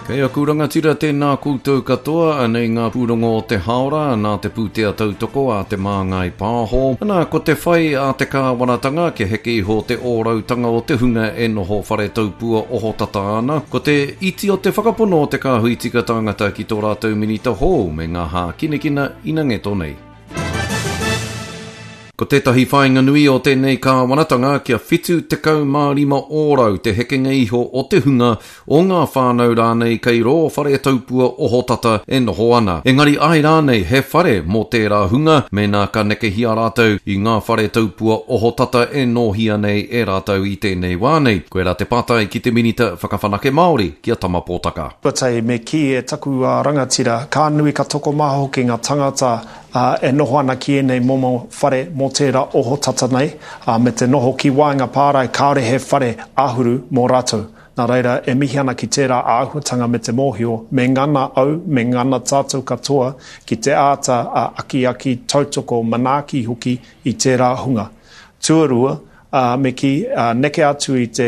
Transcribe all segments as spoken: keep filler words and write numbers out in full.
Kei aku rangatira tēnā koutou katoa, anei ngā pūrongo o te haora, nā te pūtea tautoko a Te Māngai Pāho. Ana, ko te whai a te kāwanatanga kia heke iho te ōrautanga o te hunga e noho whare taupua ohotata ana, ko te iti o te whakapono o te kāhui tika tāngata ki tō rātou minita hou me ngā hākinakina inangeto nei. Ko tētahi whāinga nui o tēnei kāwanatanga kia whitu tekau mā rima ōrau te hekenga iho o te hunga o ngā whānau rānei kei rō whare taupua ohotata e noho ana. Engari ai rānei he whare mō tērā hunga mēnā ka nekehia rātou i ngā whare taupua ohotata e nōhia nei e rātou i tēnei wā nei. Koirā te pātai ki te Minita Whakawhanake Māori, ki a Tama Pōtaka. Tuatahi, me kī e taku rangatira, ka nui ka tokomaha hoki ngā tangata e noho ana ki ēnei momo whare mō tērā ohotata nei, me te noho ki waenga pārae kāore he whare āhuru mō rātou. Nā reira, e mihi ana ki tērā āhuatanga me te mōhio, me ngana au, me ngana tātou katoa ki te āta akiaki, tautoko, manaaki hoki i tērā hunga. Tuarua, me kī, neke atu i te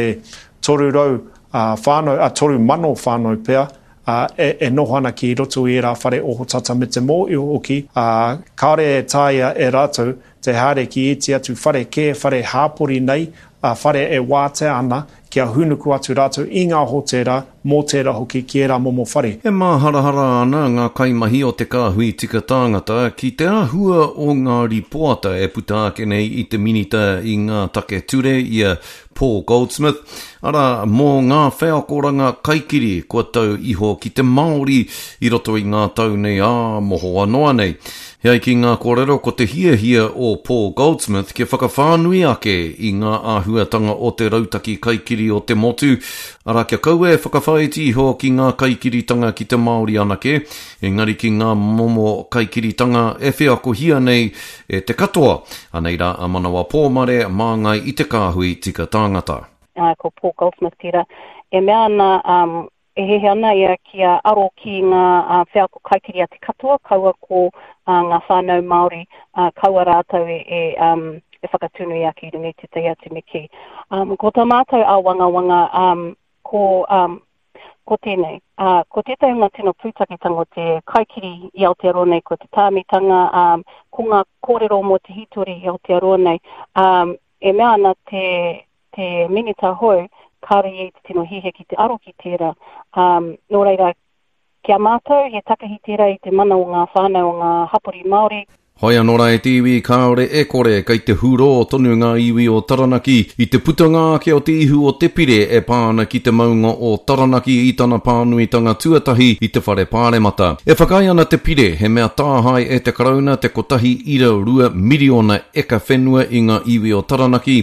toru rau whānau, toru mano whānau pea, e, e noho ana ki roto i ērā whare ohotata me te mōhio hoki, ā, kāore e taea e rātou te haere ki ēti atu whare kē, whare hāpori nei, ā, whare e wātea ana kia hūnuku atu rātou i ngā hōtēra, mōtēra hoki ki ērā momo whare. E māharahara ana ngā kaimahi o te Kāhui Tika Tāngata ki te āhua o ngā rīpoata e puta ake nei i te Minita i ngā take ture i a Paul Goldsmith, arā, mō ngā wheakoranga kaikiri kua tau iho ki te Māori i roto i ngā tau nei ā mohoa noa nei. He ai ki ngā kōrero ko te hiahia o Paul Goldsmith kia whakawhānui ake i ngā āhuatanga o te rautaki kaikiri o te motu, arā kia kaua e whakawhāiti iho ki ngā kaikiritanga ki te Māori anake, engari ki ngā momo kaikiritanga e wheakohia nei e te katoa. Anei rā a Manawa Pōmare māngai i te kāhui tika tāngata. Uh, ko Paul Goldsmith tērā. E mea ana, um, e hehe ana ia kia aro ki ngā uh, wheako kaikiri a te katoa, kaua ko uh, ngā whānau Māori, uh, kaua rātou e, e, um, e whakatunui ake i runga i tētahi atu me kī. Um, ko tā mātou āwangawanga, um, ko, um, ko tēnei. Uh, ko tētahi o ngā tino pūtaketanga o te kaikiri i Aotearoa nei, ko te tāmitanga, um, ko ngā kōrero mō te hītori i Aotearoa nei, um, e mea ana te, te minita hou, kāore ia i te tino hiahia ki te aro ki tērā. Um, nō reira, ki a mātou, he takahi tērā i te mana o ngā whānau o ngā hapori Māori. Hoi anō rā e te iwi, kāore e kore kei te hurō tonu ngā iwi o Taranaki i te putanga ake o te ihu o te pire e pā ana ki te maunga o Taranaki i tana pānuitanga tuatahi i te whare pāremata. E whakaae ana te pire he mea tāhae e te Karauna te kotahi ira rua miriona eka whenua i ngā iwi o Taranaki,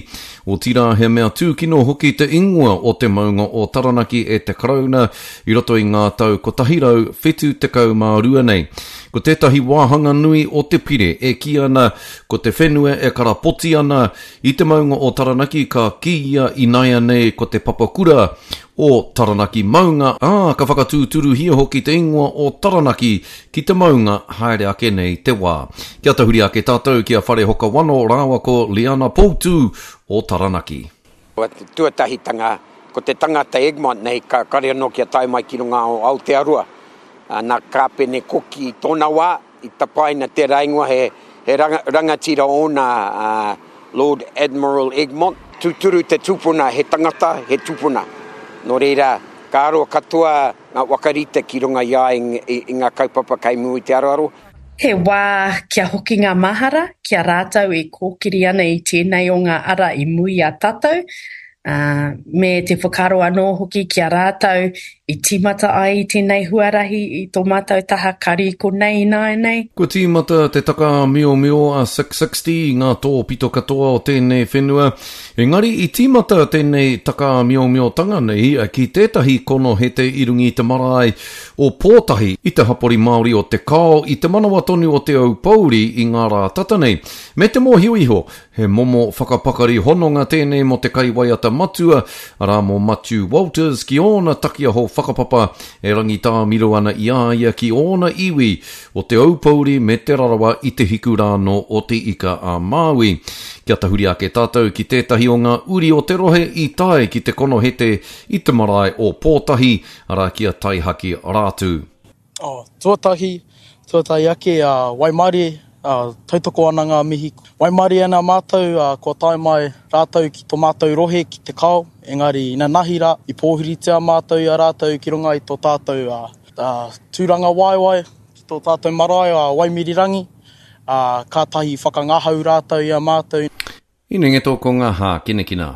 otirā he mea tūkino hoki te ingoa o te maunga o Taranaki e te Karauna i roto i ngā tau kotahi rau whitu tekau mā rua nei. Ko tētahi wāhanga nui o te pire e kī ana ko te whenua e karapoti ana i te maunga o Taranaki ka kīia ināianei ko te papakura o Taranaki maunga, ā, ka whakatūturuhia hoki te ingoa o Taranaki ki te maunga haere ake nei te wā. Kia tahuri ake tātou ki a Wharehoka Wano rāua ko Liana Poutu o Taranaki. Ko te tuatahitanga, ko te tangata Egmont nei ka kare anō kia tae mai ki runga o Aotearoa. Nā Kāpene Koki i tōna wā, i tapaina tērā ingoa he, he ranga, rangatira ōna uh, Lord Admiral Egmont. Tūturu te tupuna, he tangata, he tupuna. Nō reira, ka aro katoa ngā wakarite ki runga i a i, i, i ngā kaupapa kei mua i te aroaro. He wā kia hoki ngā mahara ki a rātou e kōkiri ana i tēnei o ngā ara i mua i a tātou, ā, me te whakaaro anō hoki ki a rātou i tīmata ai i tēnei huarahi i tō mātou taha kari konei ināianei. Kua tīmata te takaāmiomio a six sixty i ngā tōpito katoa o tēnei whenua, engari i tīmata tēnei takaāmiomiotanga nei ki tētahi konohete i runga i te marae o Pōtahi i te hapori Māori o Te Kao i te manawa tonu o Te Aupōuri i ngā rā tata nei. Me te mōhio iho, he momo whakapakari hononga tēnei mō te kaiwaiata matua, arā mō Matiu Walters, ki ōna takiaho whakapapa e rangitāmiro ana i a ia ki ōna iwi o Te Aupōuri me Te Rarawa i te hiku rānō o Te Ika a Māui. Kia tahuri ake tātou ki tētahi o ngā uri o te rohe i tae ki te konohete i te marae o Pōtahi, arā ki a Taihaki Rātū. Oh, tuatahi, tuatahi ake a waimarie, uh, tautoko ana ngā mihi. Waimarie ana mātou, uh, kua tae mai rātou ki tō mātou rohe ki te kao, engari inanahi rā, i pōhiritia mātou i a rātou ki runga i tō tātou uh, uh, tūranga waewae, ki tō tātou marae a Waimirirangi, uh, kātahi whakangahau rātou i a mātou. Inengeto ko ngā hākinakina.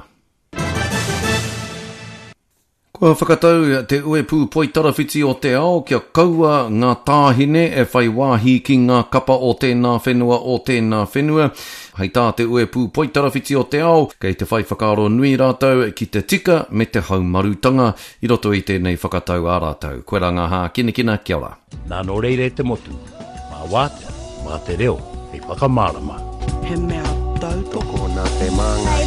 Kua whakatau te uepū poitarawhiti o te ao kia kaua ngā tāhine e whai wāhi ki ngā kapa o tēnā whenua o tēnā whenua. Hei tā te uepū poitarawhiti o te ao, kei te whai whakaaro nui rātou ki te tika me te haumarutanga i roto i tēnei whakatau a rātou. Koe rā ngā hākinakina, kia ora. Nā nō reira e te motu, mā wātea, mā te reo, hei whakamārama. He mea tautoko Tokona te māngai.